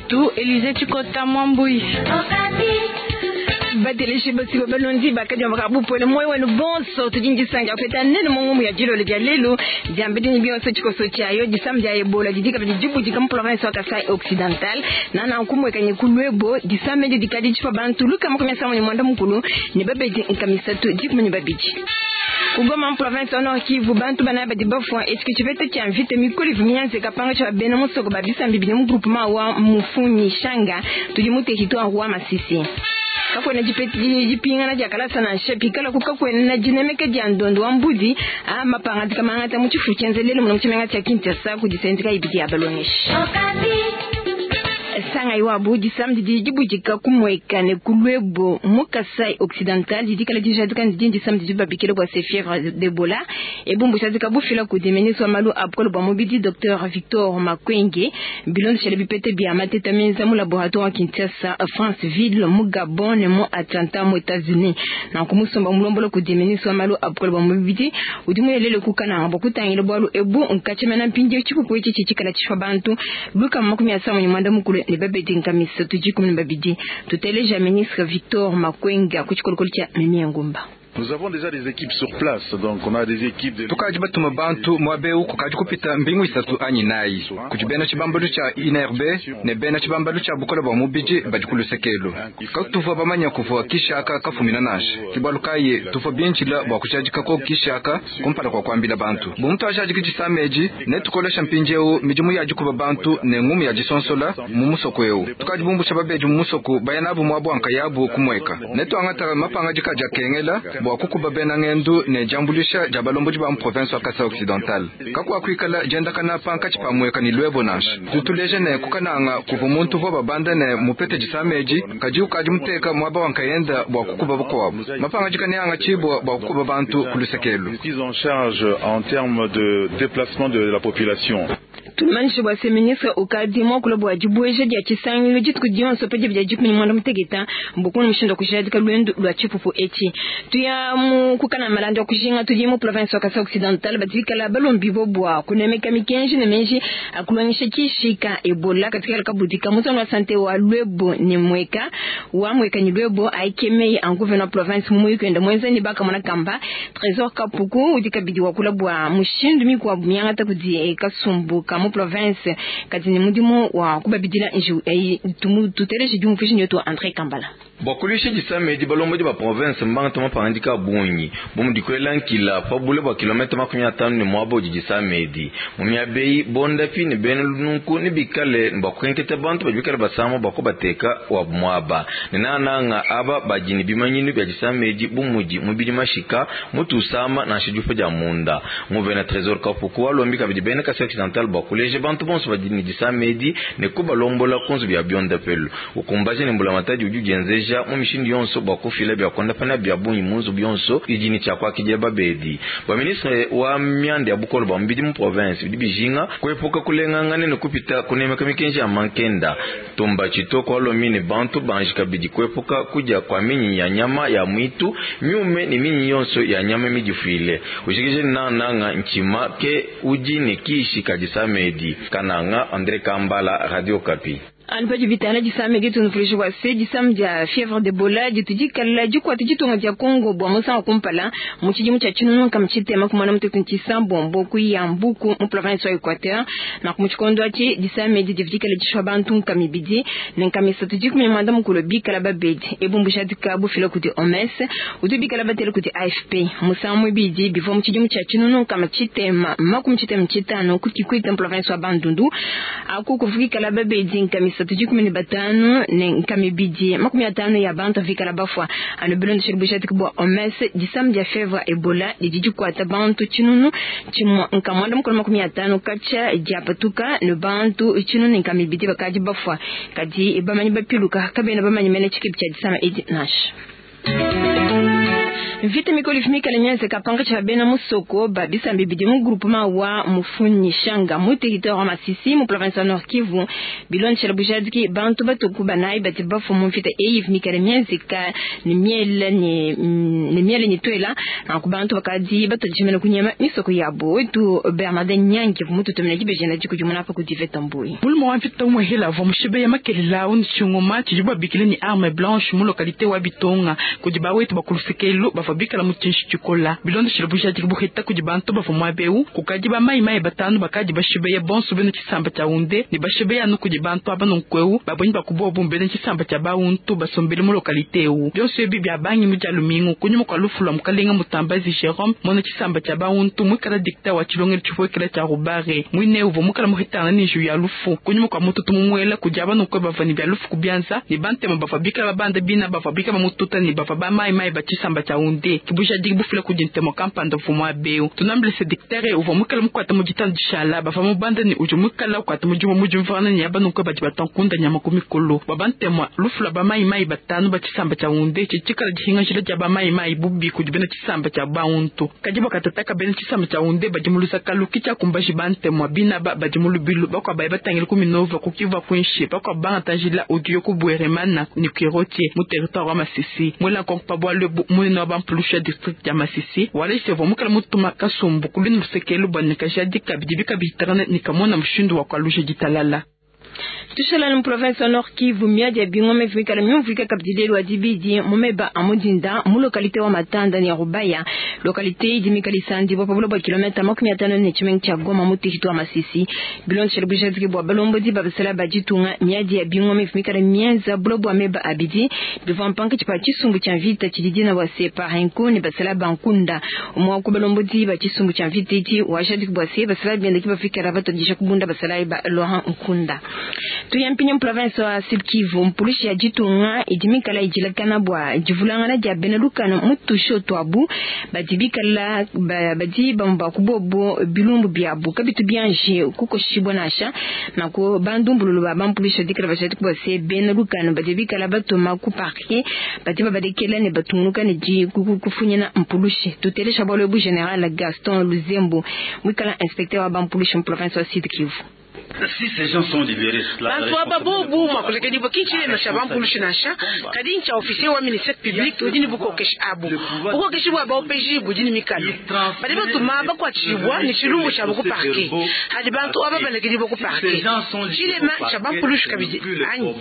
wetu Elise Tshikota Mwambui. Bateleji basiba balondi bakadi bakabupwele moyo wenu bonso tudi ndisanka kupeta nenu mu ngumu ya dilolo dia lelu diambedi ni bionso tshikoso tshiayo disama dia ebola didi kabidi dibudika mu province wa Kasai Occidental na nanku mwekanye ku Luebo disama edi dikadi dishipa bantu lukama makumi asambombo ne muanda mukulu ne babedi nkama isatu dikumi ne babidi. Ku Goma mu province wa Nord Kivu bantu banayi badi bafua etshi ke tshipeta tshia mvita mikole ivua mienzeka pankatshi pa bena musoko ba bisamba bibidi mu groupement wa Mufunyi Shanga tudi mu territoire wa Masisi. Kakuena dipingana dia kalasa nansha pikalaku kakuena dinemeka dia ndondo wa mbudi a mapangadika mangata mu tshifu tshienza lelu muna mu tshimenga tshia Kinshasa kudi sendika ibidi ya balongeshi. Sangayi wabu disama didi dibudika ku Mweka ne ku Luebo mu Kasai Occidental didi kala dijadika ne didi disama didi babikila bua se fievre d'Ebola ebu mbujadika bufila kudi ministre wa malu a bukole bua mubidi Docteur Victor Makwenge bilondeshele bipete bia mateta menza mu laboratoire wa Kinshasa Franceville mu Gabon ne mu Atlanta mu Etats-Unis. Nanku musomba mulombola kudi ministre wa malu a bukole bua mubidi udi muyelele ku Kananga bua kutangila bualu ebu nkatshimena mpindieu tshipupu etshi tshikala tshishipa bantu lukama makumi asambombo ne muanda mukulu ne babedi nkama isatu dikumi ne babidi. Tuteleja ministre Victor Makwenge ku tshikolokolo tshia Mimi Ngumba. Nous avons déjà des équipes sur place, donc on a des équipes de... Tukadi batuma bantu muaba eu kukadi kupita mbingu isatu anyi inayi kudi bena tshibambalu tshia INRB ne bena tshibambalu tshia bukole bua mubidi badi ku luseke elu. Katuvua bamanya kuvua kishi aka kafumina nansha. Ke bualu kayi tuvua bindila bua kujadikako kishi aka kumpala kua kuambila bantu. Bu mutuajadiki disama edi, netukolesha mpindieu midimu ya dikuba bantu ne ngumu ya disonsola mu musoko eu. Tukadi bumbusha babedi mu musoko baya nabu muaba wa nkayabu ku Mweka. Netuangata mapangadika adi akengela bua kukuba bena ngendu ne diambuluisha dia balombodi ba mu province wa Kasai Occidental. Kakuakuikala diendakana pankatshi pa Mweka ne Luebo nansha. Tudi tuleja ne, ku Kananga kuvua muntu uvua babanda ne mupete disama edi, kadi ukadi muteka muaba wa nkayenda bua kukuba bakuabu. Mapangadika neangatshibua bua kukuba bantu ku luseke elu. Prise en charge en termes de déplacement de la population. Tumanyishe bua se ministre ukadi muakula bua dibueja dia tshisangilu dituku dionso pa diba dia dikumi ne muanda muteketa bua mushindu wa kujadika luendu lua tshipupu etshi. Tuya mu kukana malanda wa kujinga tudi mu province wa Kasai Occidental badi bikala balombibua bua kunemeka mikenji ne meji a kulongesha kishi ka Ebola katika kabudika mu zone wa sante wa Luebo ne Mweka wa Mweka ne Luebo aikemei a gouverneur wa province mu muyuki wenda muenza ne bakamona kamba Tresor Kapuku udi kabidi wakula bua mushindu mikuabu miangata kudi kasumbu ka mu province kadi ne mudimu wa kubabidila njiwu eyi. Tuteleje diumvuija nyetu wa Andre Kambala. Bua kuluisha disama edi, balombodi ba province mbangate mapangadika a bungi, bu mudi kuela nkila pa bule bua kilometa 50 ne muaba udi disama edi. Mu miaba eyi, bondapi ne bena lununku nebikale ne bua kukenketa bantu badi bikale basama bua kubateka wabu muaba, ne nangananga aba badi ne bimanyinu bia disama edi bu mudi mubidi mashika, mutu usama nansha diupa dia munda. Nguvena Tresor Kapuku walombi kabidi bena Kasai Occidental bua kuleja bantu bonso badi ne disama edi ne kubalombola ku nzubu ya biondapelu. Ukumbaja ne mbulamatadi udi udienzeja mu mishindu yonso bua kufila bia kuondapa nabi bia bungi mu nzubu yonso idi ne tshia kuakidila babedi. Bua ministre wa mianda ya bukole bua mubidi mu province, bidi bijinga kuepuka kulengangana ne kupita kunemeka mikenji ya mankenda. Tumba Tshitoko walombi ne bantu banji kabidi kuepuka kudia kua minyinyi ya nyama ya muitu miume ne minyinyi yonso ya nyama midifuile. Ujikije ne nangananga ntshima ke udi ne kishi ka disama edi. Kananga, Andre Kambala, Radio Okapi. Anu padi bitana disama edi tunuvuluija bua se disama dia fievre d'Ebola ditu dikala dikuata ditunga dia Congo bua musangu wa kumpala mu tshidimu tshia tshinunu nkama tshitema ku muanda mutekete ne tshisambombo ku Yambuku mu province wa Equateur. Nanku mu tshikondo atshi disama edi divua dikala dishipa bantu nkama ibidi ne nkama isatu dikumi ne muanda mukulu bikala babedi. Ebu mbujadika bufila kudi OMS udi bikala batela kudi AFP. Musangu muibidi bivua mu tshidimu tshia tshinunu nkama tshitema makumi tshitema tshitanu ku Kikwit mu province wa Bandundu. Aku kuvua kikala babedi nkama isatu dikumi ne batanu ne nkama ibidi makumi atanu ya bantu avikala bafua. Anu bilondeshele bujadiki bua OMS, disama dia fievre Ebola didi dikuata bantu tshinunu tshimua nkama muanda mukulu makumi atanu katshia diapatuka ne bantu tshinunu ne nkama ibidi bakadi bafua. Kadi bamanyi bapiluka kabena bamanye mene tshikebi tshia disama edi nansha. Mvita mikole mikale mienzeka pankatshi pa bena musoko ba bisambi bidi mu groupement wa Mufunyishanga mu territoire wa Masisi mu province wa Nord Kivu. Bilondeshela bujadiki bantu batuku banayi badi bafua mu mvita eyi mikale mienzeka ne miele ne miele ne tuela nanku bantu bakadi batodishimena kunyema misoko yabo. Wetu Bernardin Nyangi mututumina dibejena dikudimuna apa kudi Veta Mbuyi. Mulume wa mvita umwe hela avua mushibeya makelela awu ne tshingoma tshidi babikile ne arme blanche mu localité wa Bitonga kudi bawetu bakulusekelu bavua bikala mu tshinshi tshikola. Bilondeshela bujadiki buheta kudi bantu bavua muabeu kukadi ba mai mai batanu bakadi bashibeya bonso bena tshisamba tshia Hunde ne bashibeya anu kudi bantu aba nonkweu babonyi bakubobu bena tshisamba tshia Bauntu basombele mu localité eu. Bionso ebi bia bangi mu dia lumingu kunyuma kwa lufu lwa mukalenga Mutambazi Jerome mona tshisamba tshia Bauntu mwikala dikta wa tshilongelo tshipuekela tshia Rubare mwine uvua mukala muhetana ne nju ya lufu kunyuma kwa mututu mumuela kudi aba nonkwe bavua ne bia lufu kubianza ne bantema bavua bikala babanda bina bavua bikala bamututa ne bavua ba mai mai ba tshisamba tshia Hunde. Kibujadiki bufila kudi ntemo kampanda uvua muabeu. Tunambile se diktere uvua mukala mukwata mu ditanu dishala bavua mubanda ne udi mukala ukwata mudimu mujumvana ne aba nonkwe badi batankunda nyama ku mikolo. Bua bantema lufu lwa ba mai mai batanu ba tshisamba tshia Hunde tshitshikala dihinga dia ba mai mai bubi kudi bena tshisamba tshia Bauntu. Kadi bakatataka bena tshisamba tshia Hunde badi mu lusakalu kitshiakumbaji bantema bina ba badi mu lubilu bakwa baye batangile ku Minova ku Kivu kuinshi bakwa bangatanjila udiyo ku Bweremana ne Kirotie mu territoire wa Masisi. Mwela nkonko pa bwalu munene wa bampulusha district ya Masisi waleje vwa mukala mutuma kasumbu kulini lusekelu bwa nikajadika bidi bikabitarana nikamona mushindu wa kwalusha ditalala. Tushala mu province wa Nord Kivu miadi ya bingoma vikala myumvika kabdilelo wa dibidi mumeba amudinda mu localité wa Matanda ni Rubaya localité idi mikalisandi bwa pabulo bwa kilomita 54 ne cha Goma mu territoire Masisi. Bilondeshela bujadiki bwa balombodi babasala bajitunga miadi ya bingoma vikala mienza bulo bwa meba abidi bivwa mpanka chipa chisumbu cha vita chididina wa separenko ne basala bankunda umwa ku balombodi ba chisumbu cha vita iti wajadiki bwa se basala biende kibafikara batodisha kubunda basala ba Laurent Nkunda. Tuyampinya mu province wa Sud Kivu mpulishi ya jitunga idimikala ijilakana bwa jivulangana dia bena lukano mutusho twabu badibikala badi bamba kubobo bilumbu biabu kabitu bianje kukoshibwa nasha nako bandumbululu ba bampulisha dikala bashati kubase bena lukano badibikala batuma ku parquet badi babadekela ne batungunuka ne di kufunyana mpulushi tutelesha bwalo bu general Gaston Luzembo mwikala inspecteur wa bampulishi mu province wa Sud Kivu. Si ces gens sont libérés, bantu aba bobu makulekedi bokinchile na shabampulushi nasha kadi ncha officier wa ministère public udini bukokeshi abu bukokeshi bwa baopeji budini mikalo badi batuma bakwachibwa ni chilumbu cha buku parquet hadi bantu aba balekedi boku parquet chilema shabampulushi kabidi anyi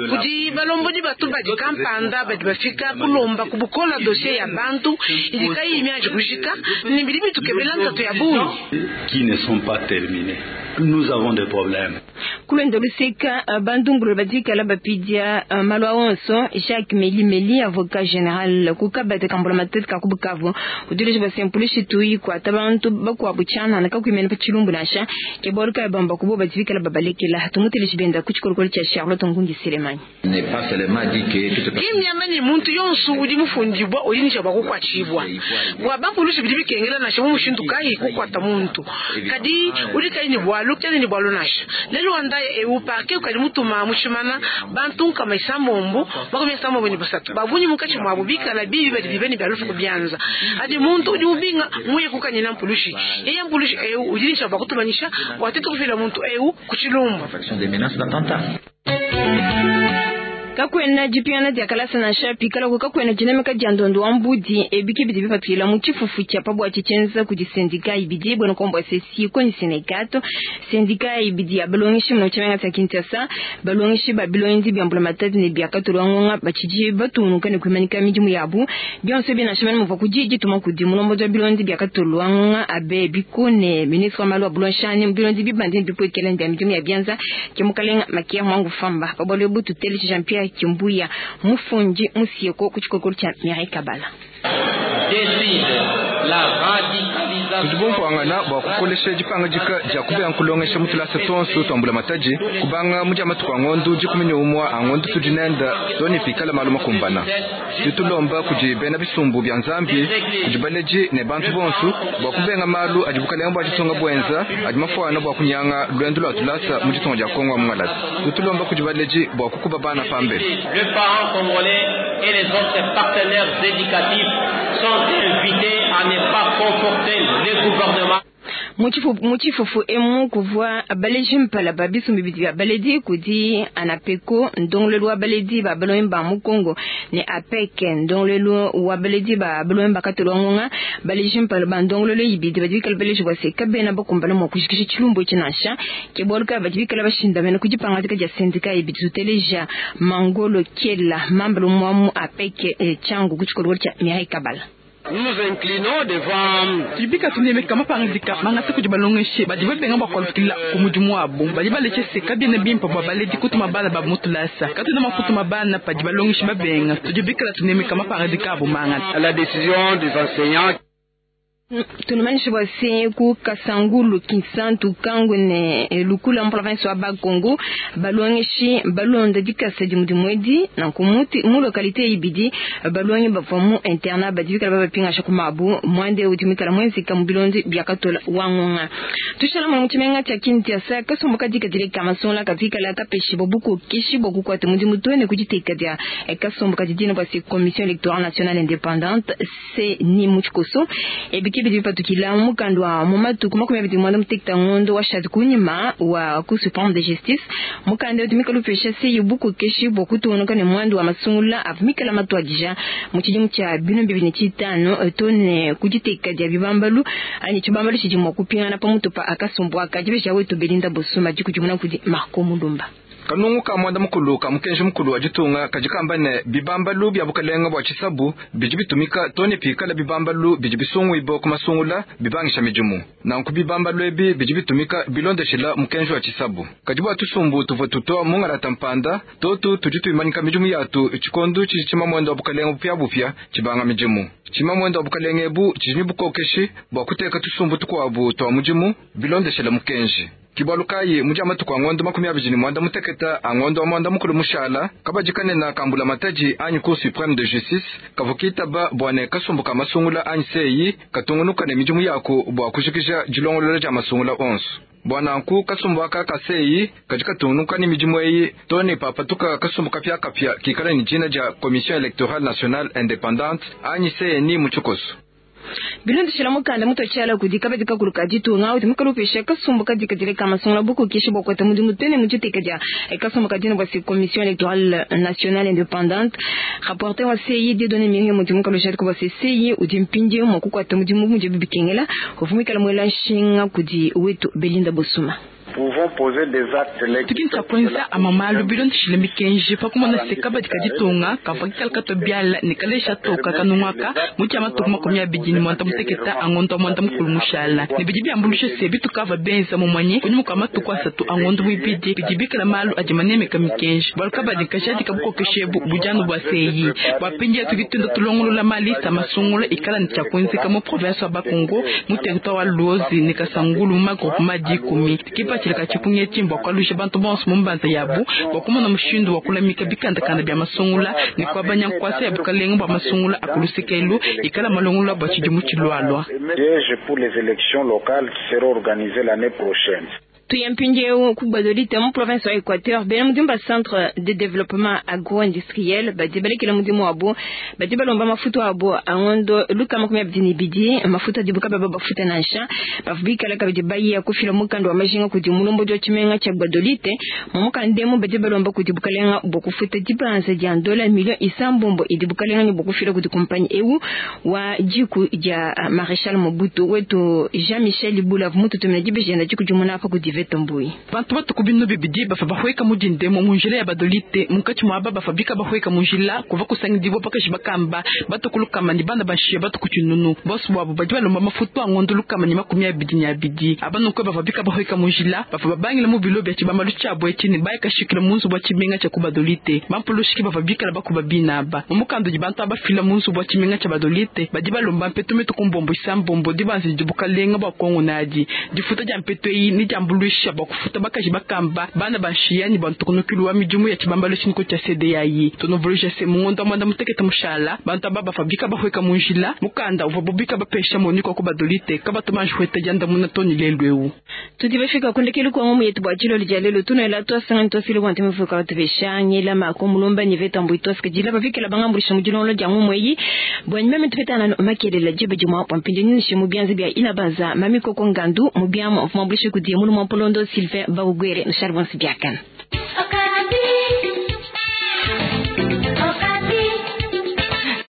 kudi balombodi batu badi kampanda badi bafika kulomba kubukola dossier ya bantu idikayi imyaje kushika ni bidi bitukebela ntatu ya bungi qui ne sont pas terminés. Nous avons des problèmes. Kulenda luseka bandumbulu badikala bapidia malwa onso Jacques Meli Meli avocat général kukabata kambula matete kakubukavu udileje basempulishi tuyi kwa tabantu bakwabuchana nakakwimena pa chilumbu nasha kebolka bamba kubo badikala babalekela tumuteleje benda kuchikolokolo cha Charlotte Ngungi Selemani. N'est pas seulement dit que toute kimnyama ni muntu yonsu udi mufundibwa ulinisha bakukwachibwa bwa bampulushi bidi bikengela nasha mu mushindu kayi kukwata muntu kadi udi kayi ni bwalu kyane ni bwalu nasha lelo wanda eu parquet ukali mutuma mushimana bantu nkama isambombo bakumya isambombo ni basatu babunyi mukachi mwabo bikala bibi badi bibeni bya lufu kubyanza hadi muntu udi ubinga muye kukanyina mpulushi yeye mpulushi eu udinisha bakutumanyisha watete kufila muntu eu kuchilumbu des menaces d'attentat. Kakwena jipiana dia kalasa na shapi kala ko kakwena jinamika dia ndondo wa mbudi ebiki bidi bipatwila mu chifufu cha pabwa chichenza kudi sendika ibidi bwena kombwa sesi ko ni Senekato sendika ibidi ya balongishi mu chamenga tsa Kinshasa balongishi ba bilongi bya mbula matati ne bya katulwa ngonga bachiji batunuka ne kwimanika midimu yabu byonse bina shamani muva kujiji tuma kudi mulombo ja bilongi bya katulwa ngonga abe bikone ministre wa malu bulonshani bilongi bibandi bipwekela ndia midimu ya byanza kemukalenga makia mwangu famba pabwalo butu tele Jean Pierre Kimbuya mufunji musieko kuchikokolo cha Mireille Kabala. Tudibumvuangana bua kukolesha dipanga dika dia kubea nkulongesha mutulasa tonso twambula mataji kubanga mudia matuku a ngondu dikumi ne umua a ngondu tudinenda toni pikala malu makumbana ditulomba kudi bena bisumbu bia nzambi kudi baleji ne bantu bonso bua kubenga malu adi bukalenga bua ditunga buenza adi mafuana bua kunyanga lwendu lua tulasa mu ditunga dia Kongo wa Mungalata. Ditulomba kudi baleji bua kukuba bana pambele. Le parent congolais et les autres partenaires éducatifs sont invités à ne pas conforter le gouvernement. Mu tshifufu emu kuvua baleji mpala ba bisumbu bibidi bia baledi kudi ANAPECO ndongoluelu wa baledi ba balongi ba mu Congo ne APEC ndongoluelu wa baledi ba balongi ba katolo wa ngonga. Baleji mpala ba ndongoluelu ibidi badi bikala baleji bua se kabena bakumbana mua kujikija tshilumbu etshi nansha. Ke bualu kayi badi bikala bashindamena ku dipangadika dia syndicat ibidi. Tuteleja Mangolo Kiela mambala umue wa mu APEC Tshangu ku tshikolokolo tshia Mireille Kabala. Nous inclinons devant Tudi bikala tunemeka mapangadika mangata kudi balongeshi badi babenga bua kualukila ku mudimu wabu. Badi baleja se kabiena bimpe bua baledi kutuma bana babu mu tulasa. Katuena mua kutuma bana padi balongeshi babenga. Tudi bikala tunemeka mapangadika abu mangata. La décision des enseignants. Tunumanyisha bua se ku Kasangulu, Kinsantu, Kangu ne Lukula mu province wa Bakongo balongeshi balonda dikasa dia mudimu edi. Nanku mu localité ibidi balongi bavua mu internat badi bikala babapingasha ku mabu. Muanda udi muikala muenzeka mu bilondi bia katola wa ngonga. Tushala mu tshimenga tshia Kinshasa kasumbu kadikadile ka masungula kavikala kapeshibua bukokeshi bua kukuata mudimu to ne ku diteka dia kasumbu kadi dina bua se Commission électorale nationale indépendante CENI mu tshikoso. Ebiki bidi bipatukila mu mukanda wa mu matuku 28 ngondo wa shadi kunyima wa Cour suprême de justice. Mukanda udi mikala upesha CENI bukokeshi bua kutungunuka ne muanda wa masungula avua mikala matuadija mu tshidimu tshia 2005 to ne ku diteka dia bibambalu anyi tshibambalu tshidi mua kupingana pamutu pa akasumbu aka. Dibeja wetu Belinda Bosuma dikudimuna kudi Marco Mulumba. Kanungu ka mwanda mukulu ka mukenji mukulu wa ditunga kadi kamba ne bibambalu bia bukalenga bua tshisabu bidi bitumika to ne pikala bibambalu bidi bisungwibua ku masungula bibangisha midimu. Nanku bibambalu ebi bidi bitumika bilondeshela mukenji wa tshisabu. Kadi bua tusumbu tuvua tutoa mungalata mpanda totu tudi tuimanyika midimu yatu tshikondo tshidi tshima mwenda wa bukalenga bupiabupia tshibanga midimu. Tshima mwenda wa bukalenga ebu tshidi ne bukokeshi bua kuteka tusumbu tukuabu tua mudimu bilondeshela mukenji. Ke bualu kayi mu dia matuku a ngondo 28 a ngondo wa mwanda mukulu mushala kabadi kanene ka mbulamatadi anyi Cour suprême de justice kavua kitaba bua ne kasumbu ka masungula anyi CENI katungunuka ne midimu yaku bua kujikija dilongolola dia masungula onso. Bua nanku kasumbu aka ka CENI kadi katungunuka ne midimu eyi to ne papatuka kasumbu kapiakapia kikala ne dina dia Commission électorale nationale indépendante anyi CENI mu tshikoso. Bilondeshela mukanda mutotshiala kudi kabadi kakulu ka ditunga udi mukala upesha kasumbu kadikadile ka masungula bukokeshi bua kuata mudimu to ne mu diteka dia kasumbu ka dina bua se Commission électorale nationale indépendante. Rapporteur wa CENI Dieudonné Mirio mudi mukala ujadika bua se CENI udi mpindieu mua kukuata mudimu mudibi bikengela. Uvua muikala muela nshinga kudi wetu Belinda Bosuma. Pouvons poser des actes Tudi tshia kuenza amue malu bilondeshile mikenji pa kumona se kabadi ka ditunga kavua kikala katua biala ne kalesha toka kanungu aka mu dia matuku 28 a ngondo wa mwanda mukulu mushala. Ne bidi biambuluisha se bitukavua benza mumanye kunyima kua matuku 3 a ngondo muibidi bidi bikala malu adi manemeka mikenji. Bualu kabadi kajadika bukokeshi ebu budi anu bua CENI. Bua mpindieu tudi tuenda tulongolola malista masungula ikala ne tshia kuenzeka mu province wa Bakongo mu territoire wa Luozi ne Kasangulu mu magroupement 10. Kipatshila ka tshipungu etshi mbua kualuisha bantu bonso mu mbanza yabu bua kumona mushindu wa kulamika bikandakanda bia masungula ne kuabanya nkuasa ya bukalenga bua masungula a ku lusekelu ikala malongolola bua tshidimu tshilualua. Piège pour les élections locales qui seront organisées l'année prochaine. Tuye mpindieu ku Gbadolite mu province wa Équateur bena mudimu ba centre de développement agro-industriel badi balekela mudimu wabo badi balomba mafutu abo a ngondo 220 mafutu adibu kababa bafuta nansha. Bavua bikala kabidi baya kufila mukanda wa majinga kudi mulombodi wa tshimenga tshia Gbadolite. Mu mukanda emu badi balomba kudi bukalenga bua kufuta dibanza dia ndola 9 millions idi bukalenga ne bua kufila kudi kumpanyi eu wa diku dia Maréchal Mobutu. Wetu Jean-Michel Ibula mututumina dibeji dikudimuna apa kudi Ivete Mbui. Bantu batuku binu bibidi bavua bahueka mu dindemo mu njila ya Badolite. Munkatshi muaba bavua bika bahueka mu njila kuva kusangidibua bakaji bakamba batuku 100 ne bana bashiya batuku 900. Bonso buabu badi balomba mafutu a ngondo 122. Aba nunku bavua bika bahueka mu njila bavua babangila mu bilo bia tshibambalu tshiabu etshi ne bayakashikila mu nzubu wa tshimenga tshia ku Badolite. Bampulushiki bavua bikala bakuba binaba. Mu mukanda udi bantu abafila mu nzubu wa tshimenga tshia Badolite badi balomba mpetu mitu ku 9 dibanza didi bukalenga bua Kongo nadi. Difuta dia mpetu eyi ne diambuluisha kuambuluisha bua kufuta bakaji bakamba bana ba nshiya ne bua ntukunukilu wa midimu ya tshibambalu tshiniko tshia CDAI. Tunuvuluija se mu ngondo wa mwanda mutekete mushala bantu aba bavua bika bahueka mu njila mukanda uvua bubika bapesha Monique wa ku Badolite kabatu banji hueta diandamuna to ne lelu eu. Tudi bafika kundekelu kwa ngomu yetu bua tshilolo dia lelo tunoela twasanga twasile bua ntemefuka batubesha ngela mako mulomba ni veta mbui twasika jila bavikela bangambulisha mu dilongolo dia ngomu eyi bua nyuma tupetana no makelela jibe juma bua mpindio nyinshi mu bianza bia inabaza mami koko ngandu mu biamu mvumambulisha kudi mulu mwa mpolondo Sylvain Bawugwere no Charbon Sibiakana.